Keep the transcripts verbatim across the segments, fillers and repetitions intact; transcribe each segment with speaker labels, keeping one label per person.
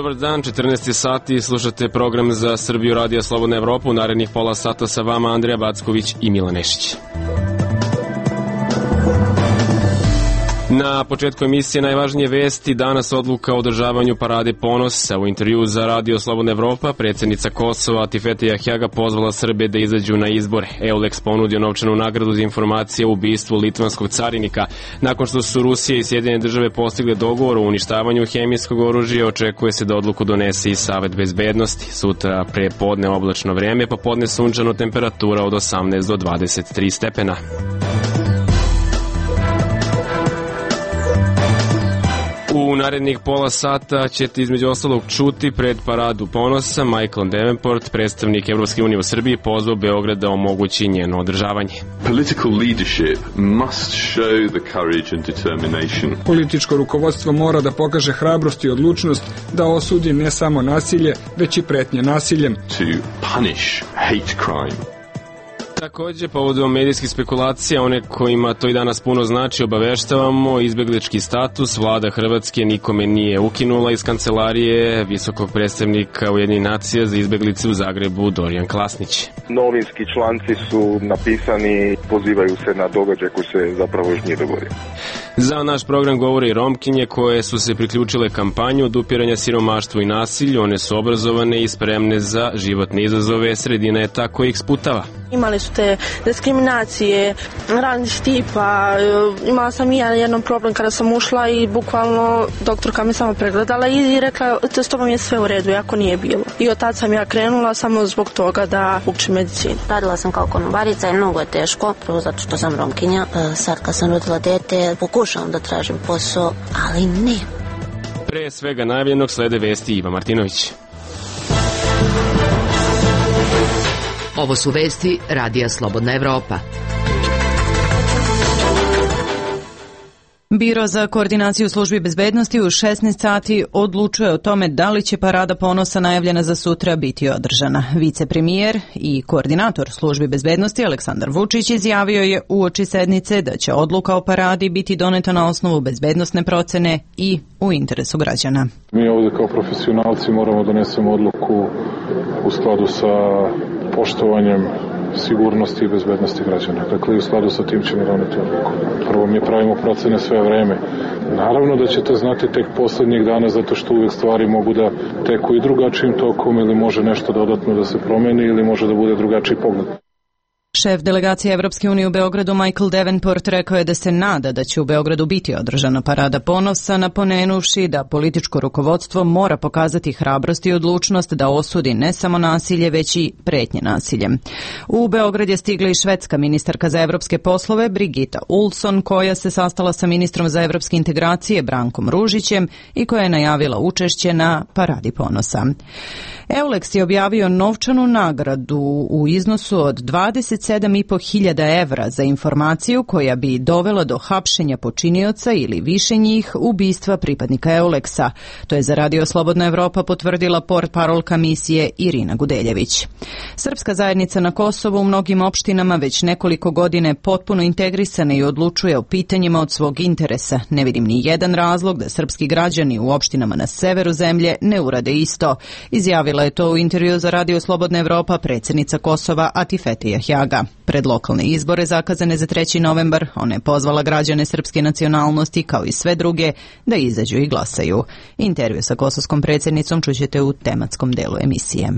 Speaker 1: Dobar dan, četrnaest sati, slušate program za Srbiju Radija Slobodna Evropa. U narednih pola sata sa vama Andrija Backović i Milan Nešić. Na početku emisije najvažnije vesti, danas odluka o održavanju parade Ponosa. U intervju za Radio Slobodna Evropa predsjednica Kosova Atifete Jahjaga pozvala Srbe da izađu na izbore. Eulex ponudio novčanu nagradu za informacije o ubistvu litvanskog carinika. Nakon što su Rusija i Sjedinjene države postigle dogovor o uništavanju hemijskog oružja, očekuje se da odluku donese i Savet bezbednosti. Sutra pre podne oblačno vreme, pa podne sunčano, temperatura od osamnaest do dvadeset tri stepena. U narednih pola sata ćete između ostalog čuti pred paradu Ponosa Michael Davenport, predstavnik Evropske unije u Srbiji, pozvao Beograd da omogući njeno održavanje.
Speaker 2: Political leadership must show the courage and determination.
Speaker 3: Političko rukovodstvo mora da pokaže hrabrost i odlučnost da osudi ne samo nasilje, već i pretnje nasiljem.
Speaker 2: To punish hate crime.
Speaker 1: Takođe, povodom medijskih spekulacija, one kojima to i danas puno znači, obaveštavamo, izbeglički status vlada Hrvatske nikome nije ukinula iz kancelarije visokog predstavnika Ujedinjenih nacija za izbeglice u Zagrebu Dorijan Klasnić.
Speaker 4: Novinski članci su napisani, pozivaju se na događaj koji se zapravo još nije dogodio.
Speaker 1: Za naš program govore i Romkinje koje su se priključile kampanju odupiranja siromaštvu i nasilju. One su obrazovane i spremne za životne izazove, sredina je ta koja ih sputava.
Speaker 5: Imali su te diskriminacije, različitih tipa, imala sam i ja jednom problem kada sam ušla i bukvalno doktorka me samo pregledala i rekla s tobom je sve u redu, jako nije bilo. I od tada sam ja krenula samo zbog toga da učim medicinu.
Speaker 6: Radila sam kao konobarica i mnogo je teško, prvo zato što sam Romkinja. Sad kad sam rodila dete, pokušavam da tražim posao, ali ne.
Speaker 1: Pre svega najavljenog slede vesti Iva Martinović.
Speaker 7: Ovo su vesti Radija Slobodna Evropa.
Speaker 8: Biro za koordinaciju službi bezbednosti u šesnaest sati odlučuje o tome da li će parada Ponosa najavljena za sutra biti održana. Vicepremijer i koordinator službi bezbednosti Aleksandar Vučić izjavio je uoči sednice da će odluka o paradi biti doneta na osnovu bezbednosne procene i u interesu građana.
Speaker 9: Mi ovdje kao profesionalci moramo donesemo odluku u skladu sa poštovanjem sigurnosti i bezbednosti građana. Dakle, u skladu sa tim ćemo doneti odluku. Prvo mi pravimo procene sve vreme. Naravno da ćete znati tek poslednjih dana, zato što uvijek stvari mogu da teku i drugačijim tokom ili može nešto dodatno da se promeni ili može da bude drugačiji pogled.
Speaker 8: Šef delegacije Evropske unije u Beogradu Michael Davenport rekao je da se nada da će u Beogradu biti održana parada Ponosa, napomenuvši da političko rukovodstvo mora pokazati hrabrost i odlučnost da osudi ne samo nasilje, već i pretnje nasiljem. U Beograd je stigla i švedska ministarka za evropske poslove Brigitta Olsson, koja se sastala sa ministrom za evropske integracije Brankom Ružićem i koja je najavila učešće na paradi Ponosa. Eulex je objavio novčanu nagradu u iznosu od dvadeset sedam i po hiljada evra za informaciju koja bi dovela do hapšenja počinioca ili više njih ubistva pripadnika Eulexa. To je za Radio Slobodna Evropa potvrdila portparolka misije Irina Gudeljević. Srpska zajednica na Kosovu u mnogim opštinama već nekoliko godine potpuno integrisana i odlučuje o pitanjima od svog interesa. Ne vidim ni jedan razlog da srpski građani u opštinama na severu zemlje ne urade isto. Izjavila je to u intervju za Radio Slobodna Evropa predsjednica Kosova Atifete Jahjaga. Pred lokalne izbore zakazane za treći novembar, ona je pozvala građane srpske nacionalnosti kao i sve druge da izađu i glasaju. Intervju sa kosovskom predsjednicom čućete u tematskom delu emisije.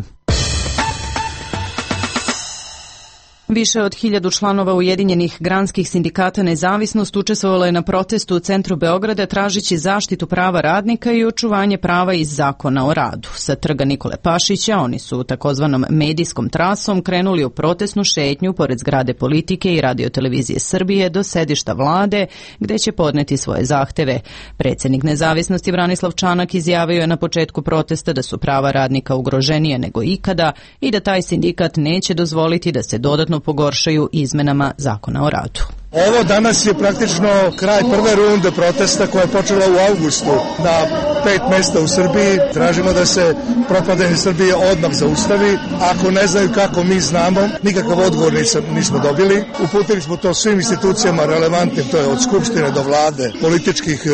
Speaker 8: Više od hiljadu članova Ujedinjenih granskih sindikata Nezavisnost učestvovalo je na protestu u centru Beograda tražići zaštitu prava radnika i očuvanje prava iz zakona o radu. Sa trga Nikole Pašića oni su takozvanom medijskom trasom krenuli u protestnu šetnju pored zgrade Politike i Radio-televizije Srbije do sedišta vlade gde će podneti svoje zahteve. Predsjednik Nezavisnosti Branislav Čanak izjavio je na početku protesta da su prava radnika ugroženije nego ikada i da taj sindikat neće dozvoliti da se dodatno pogoršaju izmenama zakona o radu.
Speaker 10: Ovo danas je praktično kraj prve runde protesta koja je počela u avgustu na pet mesta u Srbiji. Tražimo da se propadanje Srbije odmah zaustavi. Ako ne znaju kako mi znamo, nikakav odgovor nismo dobili. Uputili smo to svim institucijama relevantnim, to je od Skupštine do vlade, političkih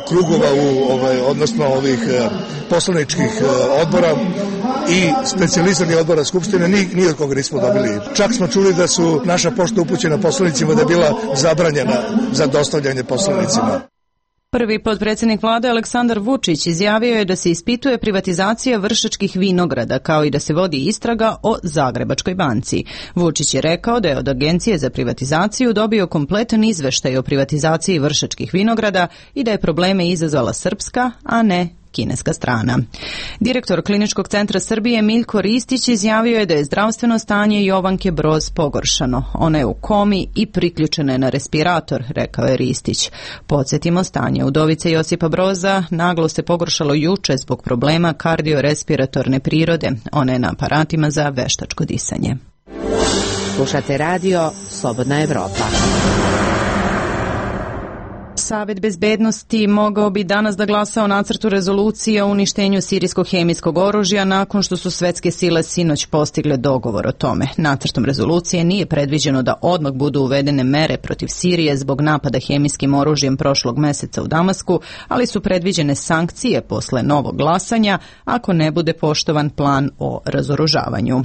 Speaker 10: krugova u ovaj odnosno ovih poslaničkih odbora i specijaliziranih odbora Skupštine, ni, ni od koga nismo dobili. Čak smo čuli da su naša pošta upućena poslanicima da je bila zabranjena za dostavljanje poslanicima.
Speaker 8: Prvi potpredsjednik vlade Aleksandar Vučić izjavio je da se ispituje privatizacija Vršačkih vinograda, kao i da se vodi istraga o Zagrebačkoj banci. Vučić je rekao da je od Agencije za privatizaciju dobio kompletan izveštaj o privatizaciji Vršačkih vinograda i da je probleme izazvala srpska, a ne kineska strana. Direktor Kliničkog centra Srbije Miljko Ristić izjavio je da je zdravstveno stanje Jovanke Broz pogoršano. Ona je u komi i priključena je na respirator, rekao je Ristić. Podsjetimo, stanje udovice Josipa Broza naglo se pogoršalo juče zbog problema kardiorespiratorne prirode. Ona je na aparatima za veštačko disanje.
Speaker 7: Slušate radio Slobodna Evropa.
Speaker 8: Savet bezbednosti mogao bi danas da glasa o nacrtu rezolucije o uništenju sirijskog hemijskog oružja nakon što su svetske sile sinoć postigle dogovor o tome. Nacrtom rezolucije nije predviđeno da odmah budu uvedene mere protiv Sirije zbog napada hemijskim oružjem prošlog meseca u Damasku, ali su predviđene sankcije posle novog glasanja ako ne bude poštovan plan o razoružavanju.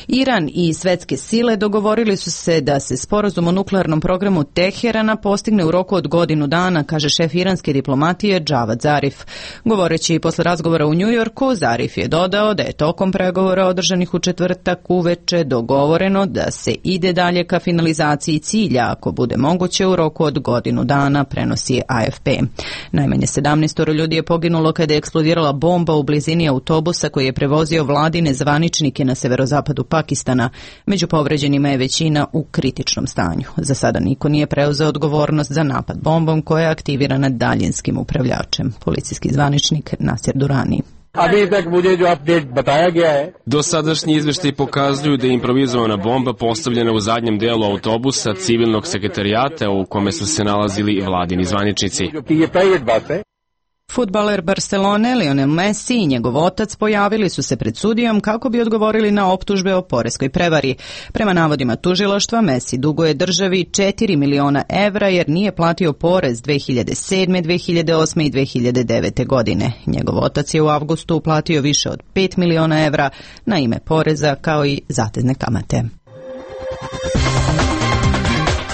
Speaker 8: Iran i svetske sile dogovorili su se da se sporazum o nuklearnom programu Teherana postigne u roku od godinu dana, kaže šef iranske diplomatije Džavad Zarif. Govoreći posle razgovora u Njujorku, Zarif je dodao da je tokom pregovora održanih u četvrtak uveče dogovoreno da se ide dalje ka finalizaciji cilja, ako bude moguće u roku od godinu dana, prenosi A F P. Najmanje sedamnaest ljudi je poginulo kada je eksplodirala bomba u blizini autobusa koji je prevozio vladine zvaničnike na severozapadu Pakistana. Među povređenima je većina u kritičnom stanju. Za sada niko nije preuzeo odgovornost za napad bombom koja je aktivirana daljinskim upravljačem. Policijski zvaničnik Nasir Durani.
Speaker 1: Dosadašnji izveštaji pokazuju da je improvizovana bomba postavljena u zadnjem delu autobusa civilnog sekretarijata u kome su se nalazili vladini zvaničnici.
Speaker 8: Fudbaler Barcelone Lionel Messi i njegov otac pojavili su se pred sudijom kako bi odgovorili na optužbe o poreskoj prevari. Prema navodima tužilaštva, Messi duguje državi četiri miliona evra jer nije platio porez dve hiljade sedme, dve hiljade osme i dve hiljade devete. godine. Njegov otac je u avgustu uplatio više od pet miliona evra na ime poreza kao i zatezne kamate.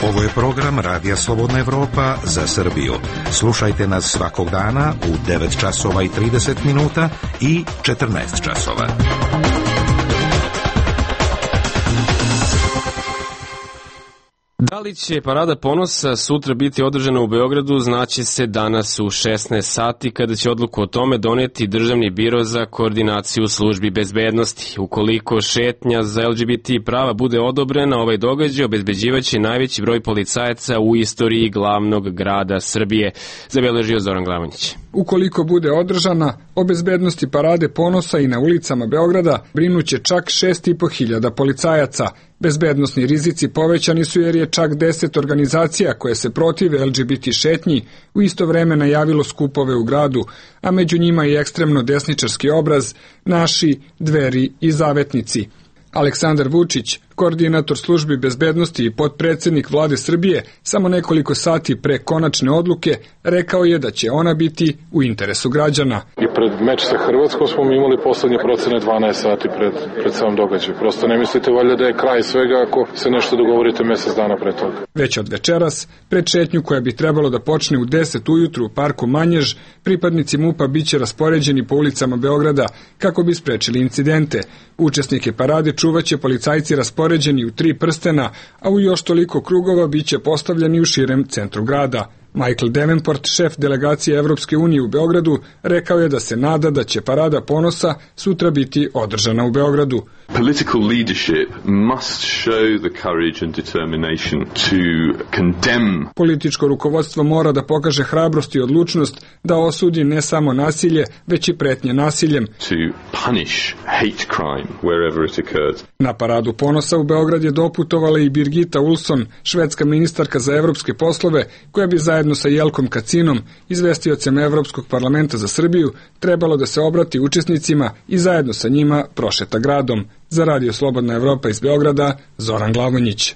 Speaker 11: Ovo je program Radija Slobodna Evropa za Srbiju. Slušajte nas svakog dana u devet časova i trideset minuta i četrnaest časova.
Speaker 1: Da li će Parada ponosa sutra biti održana u Beogradu, znaće se danas u šesnaest sati kada će odluku o tome doneti Državni biro za koordinaciju službi bezbednosti. Ukoliko šetnja za L G B T prava bude odobrena, ovaj događaj obezbeđivaće najveći broj policajaca u istoriji glavnog grada Srbije, zabeležio Zoran Glavonjić.
Speaker 3: Ukoliko bude održana, o bezbednosti Parade ponosa i na ulicama Beograda brinuće čak šest i po hiljada policajaca. Bezbednosni rizici povećani su jer je čak deset organizacija koje se protive L G B T šetnji u isto vreme najavilo skupove u gradu, a među njima i ekstremno desničarski obraz Naši, Dveri i Zavetnici. Aleksandar Vučić, koordinator službi bezbednosti i potpredsjednik vlade Srbije, samo nekoliko sati pre konačne odluke rekao je da će ona biti u interesu građana.
Speaker 9: I pred meč sa Hrvatskom smo mi imali poslednje procene dvanaest sati pred, pred sam događaj. Prosto ne mislite valjda da je kraj svega ako se nešto dogovorite mesec dana pre toga.
Speaker 3: Već od večeras, pred šetnju koja bi trebalo da počne u deset ujutru u parku Manjež, pripadnici MUP-a biće raspoređeni po ulicama Beograda kako bi sprečili incidente. Učesnike parade čuvaće policajci raspoređeni u tri prstena, a u još toliko krugova biće postavljeni u širem centru grada. Michael Davenport, šef delegacije Evropske unije u Beogradu, rekao je da se nada da će Parada ponosa sutra biti održana u Beogradu.
Speaker 2: Political leadership must show the courage and determination to condemn.
Speaker 3: Političko rukovodstvo mora da pokaže hrabrost i odlučnost da osudi ne samo nasilje, već i pretnje nasiljem.
Speaker 2: To punish hate crime wherever it occurs.
Speaker 3: Na Paradu ponosa u Beograd je doputovala i Birgitta Ulsson, švedska ministarka za evropske poslove, koja bi zajedno sa Jelkom Kacinom, izvestiocem Evropskog parlamenta za Srbiju, trebalo da se obrati učesnicima i zajedno sa njima prošeta gradom. Za Radio Slobodna Evropa iz Beograda, Zoran Glavonjić.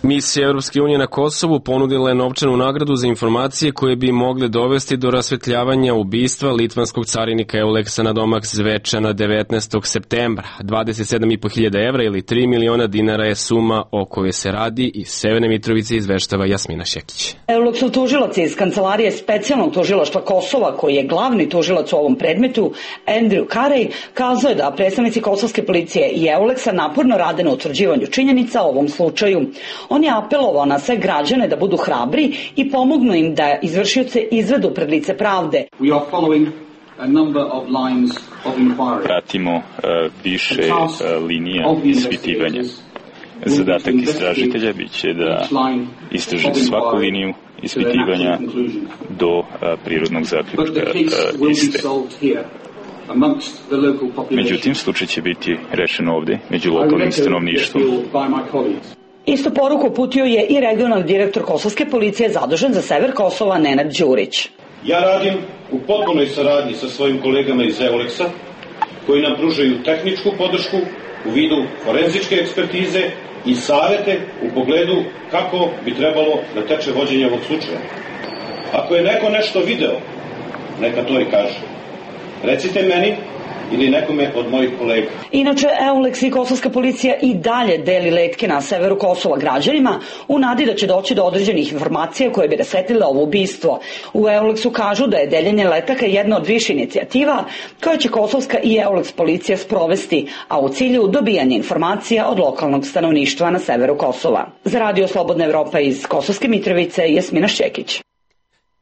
Speaker 1: Misija Evropske unije na Kosovu ponudila je novčanu nagradu za informacije koje bi mogle dovesti do rasvetljavanja ubistva litvanskog carinika Euleksa Nadomak Zvečana devetnaestog septembra. dvadeset sedam i po hiljada evra ili tri miliona dinara je suma o kojoj se radi. Iz Severne Mitrovice izveštava Jasmina Šekić.
Speaker 12: Euleksov tužilac iz Kancelarije specijalnog tužilaštva Kosova, koji je glavni tužilac u ovom predmetu, Andrew Carey, kazao je da predstavnici kosovske policije i Euleksa naporno rade na utvrđivanju činjenica o ovom slučaju. On je apelovao na sve građane da budu hrabri i pomognu im da izvršioce izvedu pred lice pravde.
Speaker 13: Pratimo uh, više uh, linija ispitivanja. Zadatak istražitelja biće da istraži svaku liniju ispitivanja do uh, prirodnog zaključka uh, iste. Međutim, slučaj će biti rešen ovde, među lokalnim stanovništvom.
Speaker 12: Istu poruku uputio je i regionalni direktor kosovske policije zadužen za sever Kosova Nenad Đurić.
Speaker 14: Ja radim u potpunoj saradnji sa svojim kolegama iz Euleksa, koji nam pružaju tehničku podršku u vidu forenzičke ekspertize i savete u pogledu kako bi trebalo da teče vođenje ovog slučaja. Ako je neko nešto video, neka to i kaže. Recite meni ili nekome od mojih kolega.
Speaker 12: Inače, Euleks i kosovska policija i dalje deli letke na severu Kosova građanima u nadi da će doći do određenih informacija koje bi rasvetlile ovo ubistvo. U Euleksu kažu da je deljenje letaka jedna od više inicijativa koje će kosovska i Euleks policija sprovesti, a u cilju dobijanja informacija od lokalnog stanovništva na severu Kosova. Za Radio Slobodna Evropa iz Kosovske Mitrovice, Jasmina Šćekić.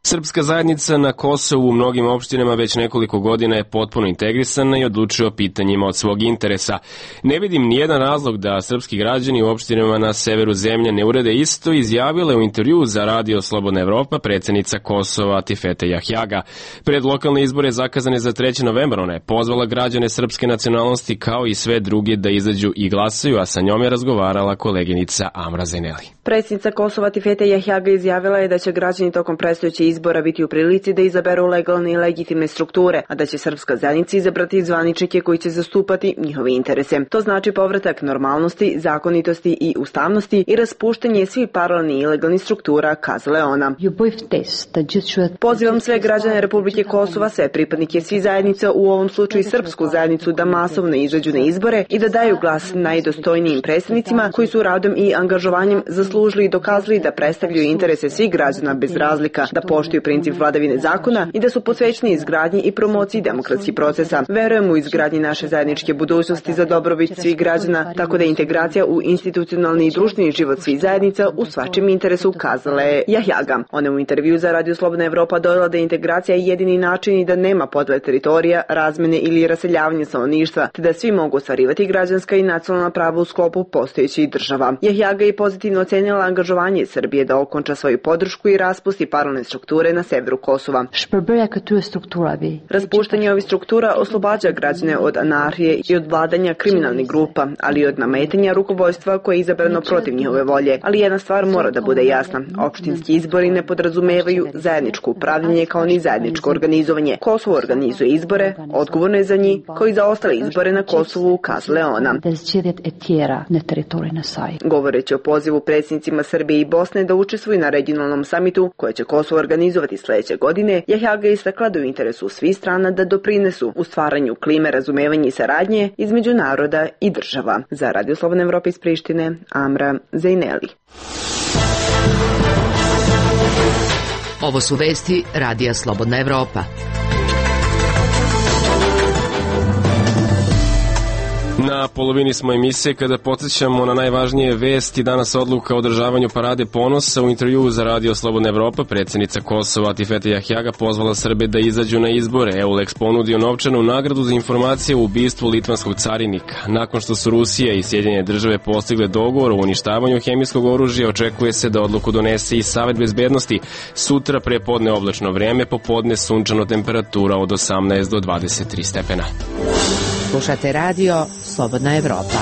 Speaker 1: Srpska zajednica na Kosovu u mnogim opštinama već nekoliko godina je potpuno integrisana i odlučuje o pitanjima od svog interesa. Ne vidim nijedan razlog da srpski građani u opštinama na severu zemlje ne urede isto, izjavila je u intervju za Radio Slobodna Evropa predsednica Kosova Atifete Jahjaga. Pred lokalne izbore zakazane za treći novembar ona je pozvala građane srpske nacionalnosti kao i sve druge da izađu i glasaju, a sa njom je razgovarala koleginica Amra Zeneli.
Speaker 15: Predsednica Kosova Atifete Jahjaga izjavila je da će građani tokom predstojećih izbora biti u prilici da izaberu legalne i legitimne strukture, a da će srpska zajednica izabrati zvaničnike koji će zastupati njihove interese. To znači povratak normalnosti, zakonitosti i ustavnosti i raspuštanje svih paralelnih i ilegalnih struktura, kazala je ona. Pozivam sve građane Republike Kosova, sve pripadnike svih zajednica, u ovom slučaju srpsku zajednicu, da masovno izađu na izbore i da daju glas najdostojnijim predstavnicima koji su radom i angažovanjem zaslužili i dokazali da predstavljaju interese svih građana bez razlika, da poštuju princip vladavine zakona i da su posvećeni izgradnji i promociji demokratskih procesa. Verujemo u izgradnji naše zajedničke budućnosti za dobrobit svih građana, tako da je integracija u institucionalni i društveni život svih zajednica u svačijem interesu, kazala je Jahjaga. Ona u intervju za Radio Slobodna Evropa dodala da je integracija jedini način i da nema podele teritorija, razmene ili raseljavanja stanovništva, te da svi mogu ostvarivati građanska i nacionalna prava u sklopu postojećih država. Jahjaga je pozitivno ocenila angažovanje Srbije da okonča svoju podršku i raspusti paralelne strukture na severu Kosova. Raspuštanje ovih struktura oslobađa građane od anarhije i od vladanja kriminalnih grupa, ali i od nametanja rukovodstva koje je izabrano protiv njihove volje. Ali jedna stvar mora da bude jasna. Opštinski izbori ne podrazumevaju zajedničko upravljanje kao ni zajedničko organizovanje. Kosovo organizuje izbore, odgovorno je za njih, kao i za ostale izbore na Kosovu, kazala je ona. Govoreći o pozivu predsjednicima Srbije i Bosne da učestvuju na regionalnom samitu koje će Kosovo organizovati sledeće godine, Jahjaga je istakla da u interesu svih strana da doprinesu u stvaranju klime razumevanja i saradnje između naroda i država. Za Radio Slobodna Evropa iz Prištine, Amra Zeneli.
Speaker 7: Ovo su vesti Radija Slobodna Evropa.
Speaker 1: Na polovini smo emisije kada podsjećamo na najvažnije vesti. Danas odluka o održavanju parade ponosa. U intervjuu za Radio Slobodna Evropa predsednica Kosova Atifete Jahjaga pozvala Srbe da izađu na izbore. Euleks ponudio novčanu nagradu za informacije o ubistvu litvanskog carinika. Nakon što su Rusija i Sjedinjene države postigle dogovor o uništavanju hemijskog oružja, očekuje se da odluku donese i Savet bezbednosti. Sutra prepodne oblačno vreme, popodne sunčano, temperatura od osamnaest do dvadeset tri stepena.
Speaker 7: Slušate Radio Slobodna Evropa.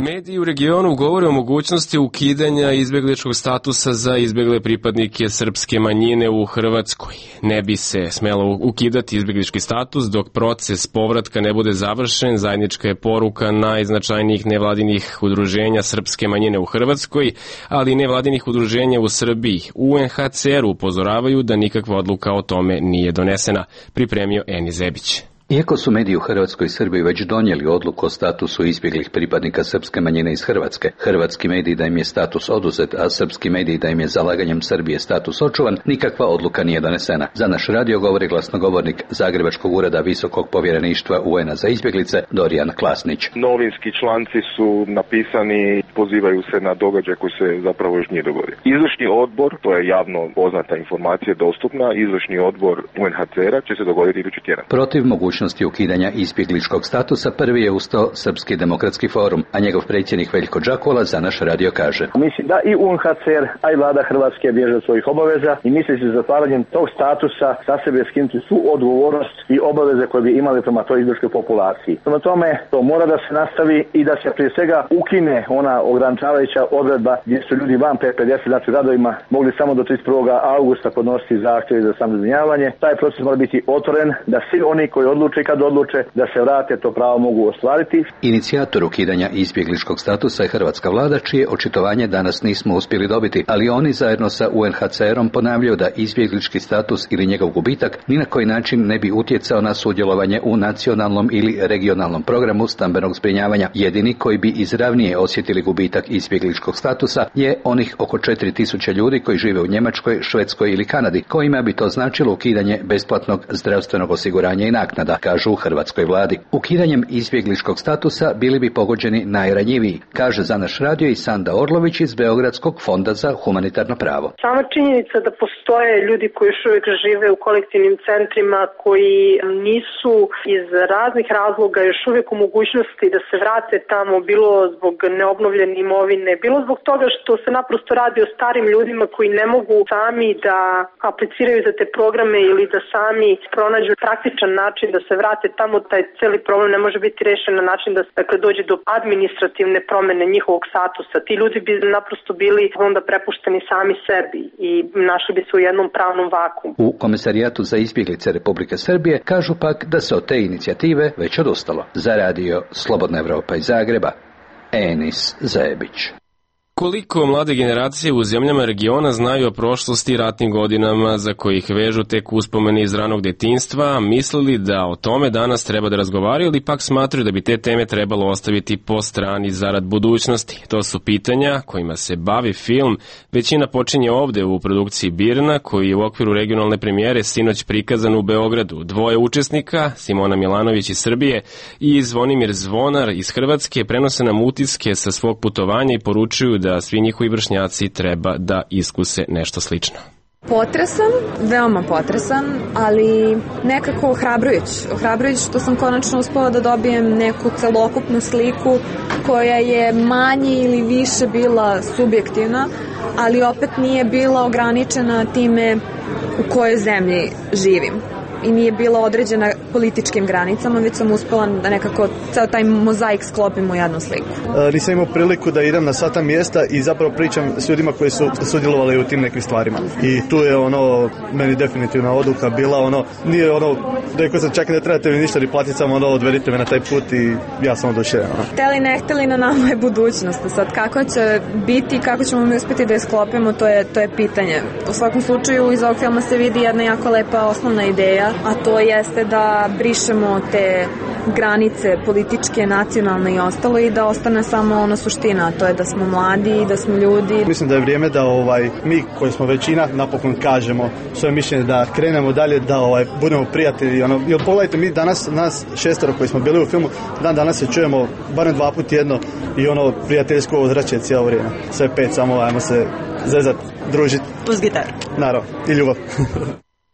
Speaker 1: Mediji u regionu govore o mogućnosti ukidanja izbegličkog statusa za izbegle pripadnike srpske manjine u Hrvatskoj. Ne bi se smelo ukidati izbeglički status dok proces povratka ne bude završen, zajednička je poruka najznačajnijih nevladinih udruženja srpske manjine u Hrvatskoj, ali i nevladinih udruženja u Srbiji. U U N H C R upozoravaju da nikakva odluka o tome nije donesena, pripremio Eni Zebić.
Speaker 16: Iako su mediji u Hrvatskoj i Srbiji već donijeli odluku o statusu izbjeglih pripadnika srpske manjine iz Hrvatske, hrvatski mediji da im je status oduzet, a srpski mediji da im je zalaganjem Srbije status očuvan, nikakva odluka nije donesena. Za naš radio govori glasnogovornik Zagrebačkog ureda Visokog povjereništva U N-a za izbjeglice Dorijan Klasnić.
Speaker 4: Novinski članci su napisani, pozivaju se na događaj koji se zapravo još nije dogodio. Izvršni odbor, to je javno poznata informacija, dostupna, izvršni odbor U N H C R-a će se dogoditi idući tjedan.
Speaker 16: Protiv mogućnosti ukidanja izbjegličkog statusa prvi je ustao Srpski demokratski forum, a njegov predsjednik Veljko Đakola za naš radio kaže.
Speaker 17: Mislim da i U N H C R, a i vlada Hrvatske bježe od svojih obaveza i misli se zatvaranjem tog statusa sa sebe skinuti svu odgovornost i obaveze koje bi imali prema toj izbjegličkoj populaciji. Prema tome, to mora da se nastavi i da se prije svega ukine ona ograničavajuća odredba gdje su ljudi van P pedeset, znači radovima, mogli samo do trideset prvog avgusta podnositi zahtjeve za samozbrinjavanje. Taj proces mora biti otvoren da svi oni koji odluče i kad odluče da se vrate, to pravo mogu ostvariti.
Speaker 16: Inicijator ukidanja izbjegličkog statusa je hrvatska vlada, čije očitovanje danas nismo uspjeli dobiti, ali oni zajedno sa U N H C R-om ponavljaju da izbjeglički status ili njegov gubitak ni na koji način ne bi utjecao na sudjelovanje u nacionalnom ili regionalnom programu stambenog zbrinjavanja. Jedini koji bi izravnije osjetili gubitak izbjegličkog statusa je onih oko četiri tisuće ljudi koji žive u Njemačkoj, Švedskoj ili Kanadi, kojima bi to značilo ukidanje besplatnog zdravstvenog osiguranja i naknada, kažu u hrvatskoj vladi. Ukidanjem izbjegličkog statusa bili bi pogođeni najranjiviji, kaže za naš radio i Sanda Orlović iz Beogradskog fonda za humanitarno pravo.
Speaker 18: Sama činjenica da postoje ljudi koji još uvijek žive u kolektivnim centrima, koji nisu iz raznih razloga još uvijek u mogućnosti da se vrate tamo, bilo zbog neobnovljene imovine, bilo zbog toga što se naprosto radi o starim ljudima koji ne mogu sami da apliciraju za te programe ili da sami pronađu praktičan način da se vrate tamo, taj cijeli problem ne može biti rešen na način da se dakle, dođe do administrativne promjene njihovog statusa. Ti ljudi bi naprosto bili onda prepušteni sami sebi i našli bi se u jednom pravnom vakuumu.
Speaker 16: U Komisarijatu za izbjeglice Republike Srbije kažu pak da se od te inicijative već odustalo. Za radio Slobodna Evropa iz Zagreba, Enis Zebić.
Speaker 1: Koliko mlade generacije u zemljama regiona znaju o prošlosti i ratnim godinama za kojih vežu tek uspomene iz ranog detinjstva, mislili da o tome danas treba da razgovaraju ili pak smatraju da bi te teme trebalo ostaviti po strani zarad budućnosti? To su pitanja kojima se bavi film. Većina počinje ovde u produkciji Birna, koji je u okviru regionalne premijere sinoć prikazan u Beogradu. Dvoje učesnika, Simona Milanović iz Srbije i Zvonimir Zvonar iz Hrvatske, prenose nam utiske sa svog putovanja i poručuju da da svi njihovi vršnjaci treba da iskuse nešto slično.
Speaker 19: Potresan, veoma potresan, ali nekako ohrabrujuć. Ohrabrujuć što sam konačno uspela da dobijem neku celokupnu sliku koja je manje ili više bila subjektivna, ali opet nije bila ograničena time u kojoj zemlji živim. I nije bila određena političkim granicama, već sam uspela da nekako ceo taj mozaik sklopim u jednu sliku.
Speaker 20: E, nisam imao priliku da idem na sva ta mjesta i zapravo pričam s ljudima koji su sudjelovali u tim nekim stvarima. I tu je ono, meni definitivna odluka bila ono, nije ono, rekao sam čak ne trebate mi ništa ni platiti, samo ono, odvedite me na taj put i ja sam oduševljen.
Speaker 19: Hteli ne hteli, na nama je budućnost. Sad kako će biti i kako ćemo mi uspjeti da je sklopimo, to je, to je pitanje. U svakom slučaju iz ovog filma se vidi jedna jako lepa osnovna ideja, a to jeste da brišemo te granice političke, nacionalne i ostalo i da ostane samo ona suština, a to je da smo mladi i da smo ljudi.
Speaker 20: Mislim da je vrijeme da ovaj mi koji smo većina napokon kažemo svoje mišljenje, da krenemo dalje, da ovaj budemo prijatelji. Ono, jer pogledajte, mi danas, nas šestero koji smo bili u filmu, dan danas se čujemo barem dva puta tjedno i ono prijateljsko ozračje cijelo vrijeme. Sve pet, samo ajmo se zezat, družiti.
Speaker 19: Plus gitar.
Speaker 20: Naravno, i ljubav.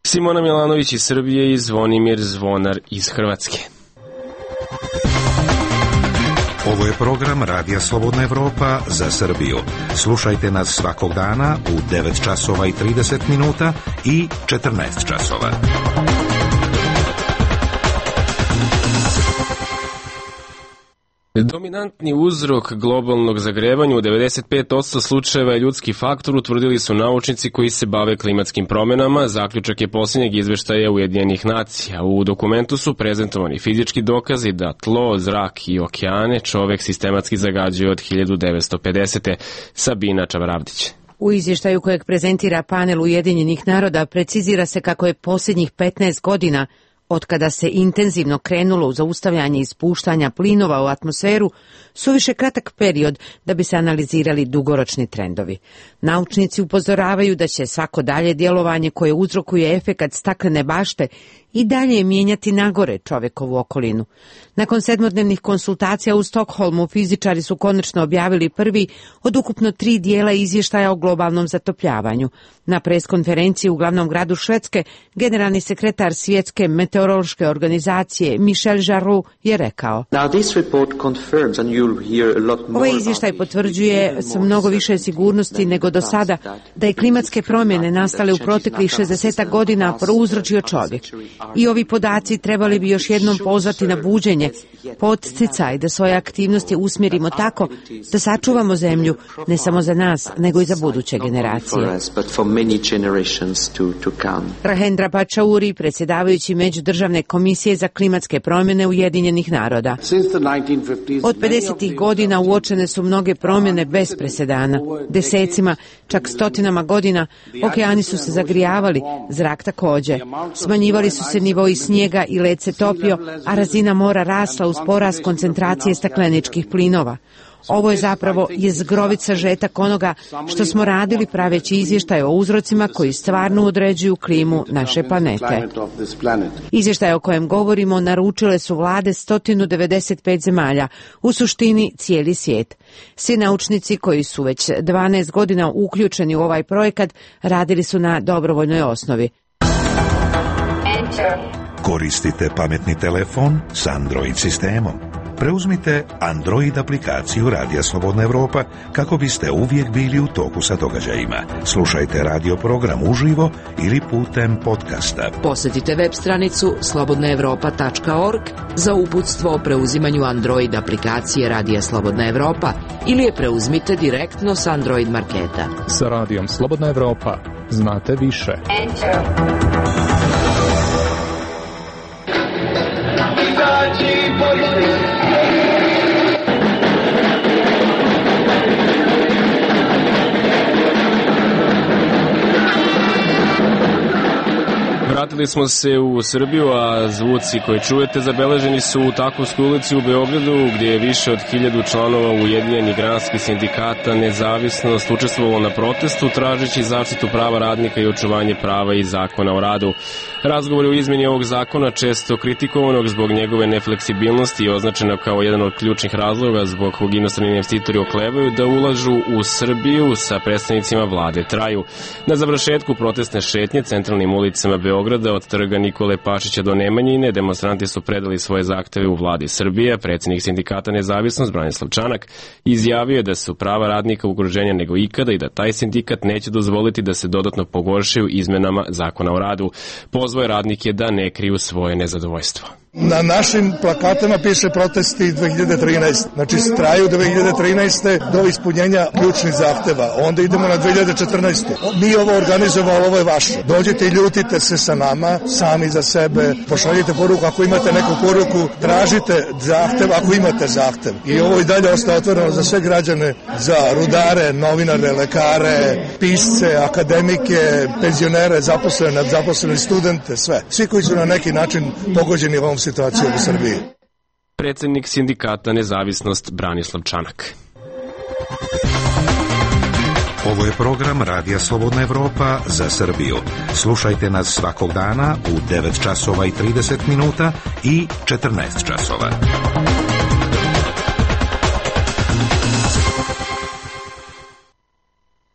Speaker 1: Simona Milanović iz Srbije i Zvonimir Zvonar iz Hrvatske.
Speaker 11: Ovo je program Radija Slobodna Evropa za Srbiju. Slušajte nas svakog dana u devet časova i trideset minuta i četrnaest časova.
Speaker 1: Dominantni uzrok globalnog zagrevanja u devedeset pet posto slučajeva je ljudski faktor, utvrdili su naučnici koji se bave klimatskim promenama. Zaključak je posljednjeg izveštaja Ujedinjenih nacija. U dokumentu su prezentovani fizički dokazi da tlo, zrak i okeane čovek sistematski zagađuje od hiljadu devetsto pedesete. Sabina Čavaravdić.
Speaker 21: U izvještaju kojeg prezentira panel Ujedinjenih naroda precizira se kako je posljednjih petnaest godina od kada se intenzivno krenulo u zaustavljanje ispuštanja plinova u atmosferu, suviše kratak period da bi se analizirali dugoročni trendovi. Naučnici upozoravaju da će svako dalje djelovanje koje uzrokuje efekat staklene bašte i dalje mijenjati nagore čovekovu okolinu. Nakon sedmodnevnih konsultacija u Stokholmu, fizičari su konačno objavili prvi od ukupno tri dijela izvještaja o globalnom zatopljavanju. Na preskonferenciji u glavnom gradu Švedske, generalni sekretar Svjetske meteorološke organizacije Michel Jarroux je rekao: Ovaj izvještaj potvrđuje sa mnogo više sigurnosti nego do sada da je klimatske promjene nastale u proteklih šezdeset godina prouzročio čovjek. I ovi podaci trebali bi još jednom pozvati na buđenje, podsticaj da svoje aktivnosti usmjerimo tako da sačuvamo zemlju ne samo za nas, nego i za buduće generacije. Rahendra Pachauri, predsjedavajući Međudržavne komisije za klimatske promjene Ujedinjenih naroda. Od pedesetih godina uočene su mnoge promjene bez presedana. Desecima, čak stotinama godina, okeani su se zagrijavali, zrak također. Smanjivali su se nivoi snijega i led se topio, a razina mora rasla uz porast koncentracije stakleničkih plinova. Ovo je zapravo jezgrovit sažetak onoga što smo radili praveći izvještaj o uzrocima koji stvarno određuju klimu naše planete. Izvještaj o kojem govorimo naručile su vlade sto devedeset pet zemalja, u suštini cijeli svijet. Svi naučnici koji su već dvanaest godina uključeni u ovaj projekat radili su na dobrovoljnoj osnovi.
Speaker 11: Koristite pametni telefon s Android sistemom. Preuzmite Android aplikaciju Radija Slobodna Evropa kako biste uvijek bili u toku sa događajima. Slušajte radio program uživo ili putem podcasta.
Speaker 7: Posjetite web stranicu slobodna evropa tačka org za uputstvo o preuzimanju Android aplikacije Radija Slobodna Evropa ili je preuzmite direktno s Android marketa.
Speaker 22: Sa Radijom Slobodna Evropa znate više.
Speaker 23: Enter.
Speaker 1: Vratili smo se u Srbiju, a zvuci koje čujete zabeleženi su u Takovskoj ulici u Beogradu, gdje je više od hiljadu članova Ujedinjenih granskih sindikata Nezavisnost učestvovalo na protestu tražeći zaštitu prava radnika i očuvanje prava i zakona o radu. Razgovor o izmjeni ovog zakona, često kritikovanog zbog njegove nefleksibilnosti i označena kao jedan od ključnih razloga zbog kog inostrani investitori oklevaju da ulažu u Srbiju, sa predstavnicima vlade traju. Na završetku protestne šetnje centralnim ulicama Beograda od trga Nikole Pašića do Nemanjine demonstranti su predali svoje zahteve u vladi Srbije. Predsjednik sindikata Nezavisnost Branislav Čanak izjavio je da su prava radnika ugroženja nego ikada i da taj sindikat neće dozvoliti da se dodatno pogoršaju izmenama zakona o radu. Pozvao je radnike da ne kriju svoje nezadovoljstvo.
Speaker 10: Na našim plakatama piše protesti dve hiljade trinaeste. Znači traju dve hiljade trinaeste do ispunjenja ključnih zahteva. Onda idemo na dve hiljade četrnaestu. Mi ovo organizujemo, ovo je vaše. Dođite i ljutite se sa nama, sami za sebe. Pošaljite poruku ako imate neku poruku, tražite zahtev ako imate zahtev. I ovo i dalje ostaje otvoreno za sve građane, za rudare, novinare, lekare, pisce, akademike, penzionere, zaposlene, zaposlene studente, sve. Svi koji su na neki način pogođeni ovom situacijom u Srbiji.
Speaker 1: Predsjednik sindikata Nezavisnost Branislav Čanak.
Speaker 11: Ovo je program Radija Slobodna Evropa za Srbiju. Slušajte nas svakog dana u devet časova i trideset minuta i četrnaest časova.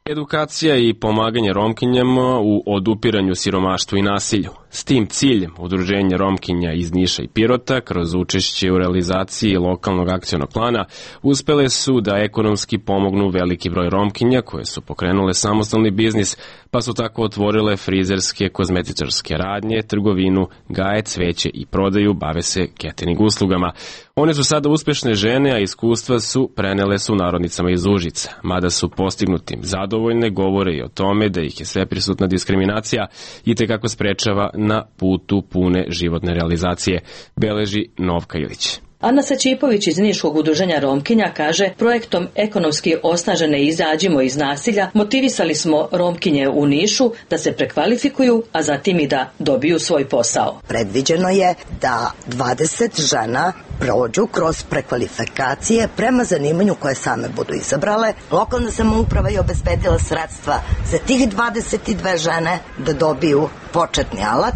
Speaker 1: Edukacija i pomaganje Romkinjama u odupiranju siromaštvu i nasilju. S tim ciljem Udruženje Romkinja iz Niša i Pirota kroz učešće u realizaciji lokalnog akcionog plana uspele su da ekonomski pomognu veliki broj Romkinja koje su pokrenule samostalni biznis, pa su tako otvorile frizerske, kozmetičarske radnje, trgovinu, gaje, cveće i prodaju, bave se catering uslugama. One su sada uspešne žene, a iskustva su prenele su narodnicama iz Užica. Mada su postignutim zadovoljne, govore i o tome da ih je sveprisutna diskriminacija i te kako sprečava na putu pune životne realizacije, beleži Novka Ilić.
Speaker 5: Ana Sačipović iz Niškog udruženja Romkinja kaže, projektom ekonomski osnažene izađimo iz nasilja motivisali smo Romkinje u Nišu da se prekvalifikuju, a zatim i da dobiju svoj posao.
Speaker 6: Predviđeno je da dvadeset žena prođu kroz prekvalifikacije prema zanimanju koje same budu izabrale. Lokalna samouprava je obezbedila sredstva za tih dvadeset dve žene da dobiju početni alat.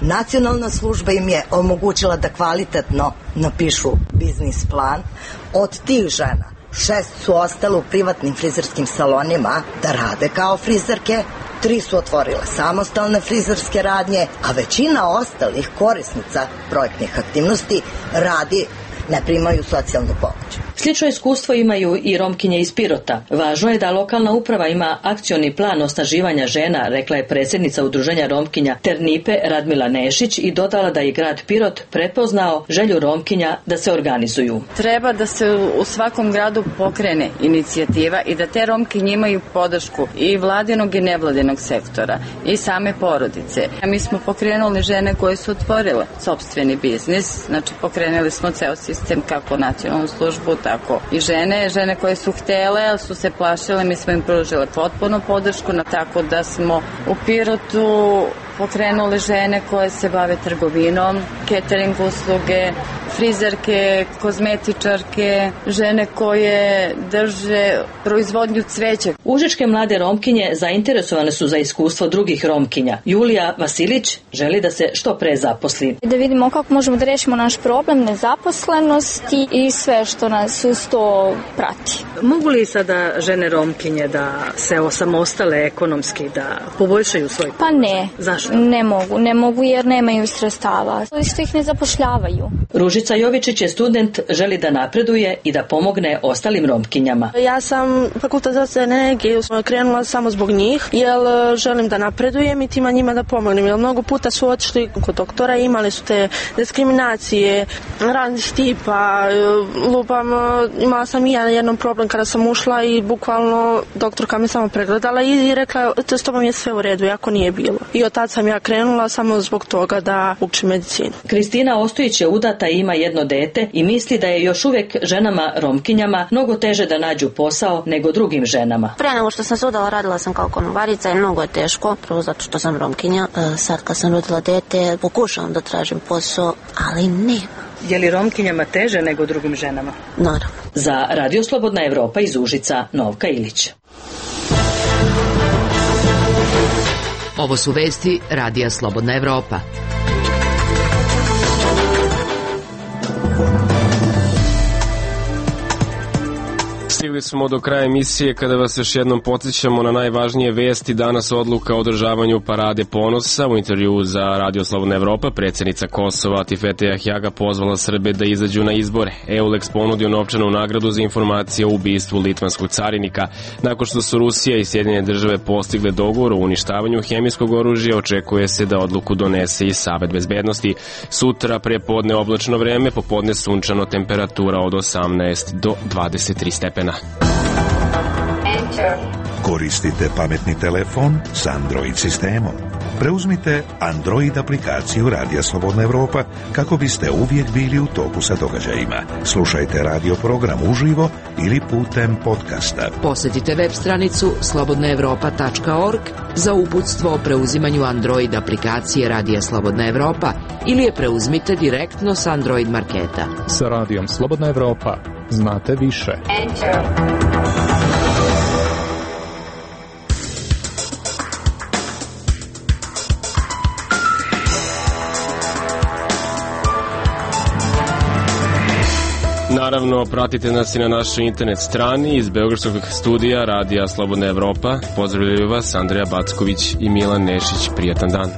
Speaker 6: Nacionalna služba im je omogućila da kvalitetno napišu biznis plan. Od tih žena šest su ostale u privatnim frizerskim salonima da rade kao frizerke, tri su otvorile samostalne frizerske radnje, a većina ostalih korisnica projektnih aktivnosti radi, ne primaju socijalnu pomoć.
Speaker 5: Slično iskustvo imaju i Romkinje iz Pirota. Važno je da lokalna uprava ima akcioni plan osnaživanja žena, rekla je predsjednica udruženja Romkinja Ternipe Radmila Nešić i dodala da je grad Pirot prepoznao želju Romkinja da se organizuju.
Speaker 23: Treba da se u svakom gradu pokrene inicijativa i da te Romkinje imaju podršku i vladinog i nevladinog sektora i same porodice. Mi smo pokrenuli žene koje su otvorile sopstveni biznis, znači pokrenuli smo ceo sistem kako nacionalnu službu, tako i žene, žene koje su htele, ali su se plašile, mi smo im pružile potpuno podršku, tako da smo u Pirotu pokrenuli žene koje se bave trgovinom, catering usluge, frizerke, kozmetičarke, žene koje drže proizvodnju cveća.
Speaker 5: Užičke mlade Romkinje zainteresovane su za iskustvo drugih Romkinja. Julija Vasilić želi da se što pre zaposli.
Speaker 24: Da vidimo kako možemo da rešimo naš problem nezaposlenosti i sve što nas uz to prati.
Speaker 5: Mogu li sada žene Romkinje da se osamostale ekonomski, da poboljšaju svoj?
Speaker 24: Pa ne.
Speaker 5: Zašto?
Speaker 24: Ne mogu, ne mogu jer nemaju sredstava. Što ih ne zapošljavaju.
Speaker 5: Ružica Jovičić je student, želi da napreduje i da pomogne ostalim Romkinjama.
Speaker 25: Ja sam fakultet zdravstvene energije krenula samo zbog njih, jer želim da napredujem i tima njima da pomognem. Jer mnogo puta su otišli kod doktora, imali su te diskriminacije, raznih tipa, lupam, imala sam i ja jednom problem kada sam ušla i bukvalno doktorka me samo pregledala i rekla, to s tobom je sve u redu, jako nije bilo. I od tad sam ja krenula samo zbog toga da učim medicinu.
Speaker 5: Kristina Ostojić je udata i ima jedno dete i misli da je još uvijek ženama Romkinjama mnogo teže da nađu posao nego drugim ženama.
Speaker 26: Pre nego što sam se udala radila sam kao konobarica i mnogo je teško, prvo zato što sam Romkinja. Sad kad sam rodila dete pokušavam da tražim posao, ali nema.
Speaker 5: Je li Romkinjama teže nego drugim ženama?
Speaker 26: Naravno.
Speaker 5: Za Radio Slobodna Evropa iz Užica, Novka Ilić.
Speaker 7: Ovo su vesti Radija Slobodna Evropa.
Speaker 1: Stigli smo do kraja emisije kada vas još jednom podsjećamo na najvažnije vesti. Danas odluka o održavanju parade ponosa. U intervju za Radio Slobodna Evropa predsjednica Kosova Atifete Jahjaga pozvala Srbe da izađu na izbore. Eulex ponudio novčanu nagradu za informacije o ubistvu litvanskog carinika. Nakon što su Rusija i Sjedinjene države postigle dogovor o uništavanju hemijskog oružja, očekuje se da odluku donese i Savet bezbednosti. Sutra prepodne oblačno vreme, popodne sunčano, temperatura od osamnaest do dvadeset tri stepena.
Speaker 11: Koristite pametni telefon s Android sistemom. Preuzmite Android aplikaciju Radija Slobodna Evropa kako biste uvijek bili u toku sa događajima. Slušajte radio program uživo ili putem podcasta.
Speaker 7: Posjetite web stranicu slobodna evropa tačka org za uputstvo o preuzimanju Android aplikacije Radija Slobodna Evropa ili je preuzmite direktno s Android marketa.
Speaker 22: Sa Radijom Slobodna Evropa znate više.
Speaker 27: Enter.
Speaker 1: Naravno, pratite nas i na našoj internet strani iz Beogradskog studija Radija Slobodna Evropa. Pozdravljaju vas Andreja Backović i Milan Nešić. Prijatan dan.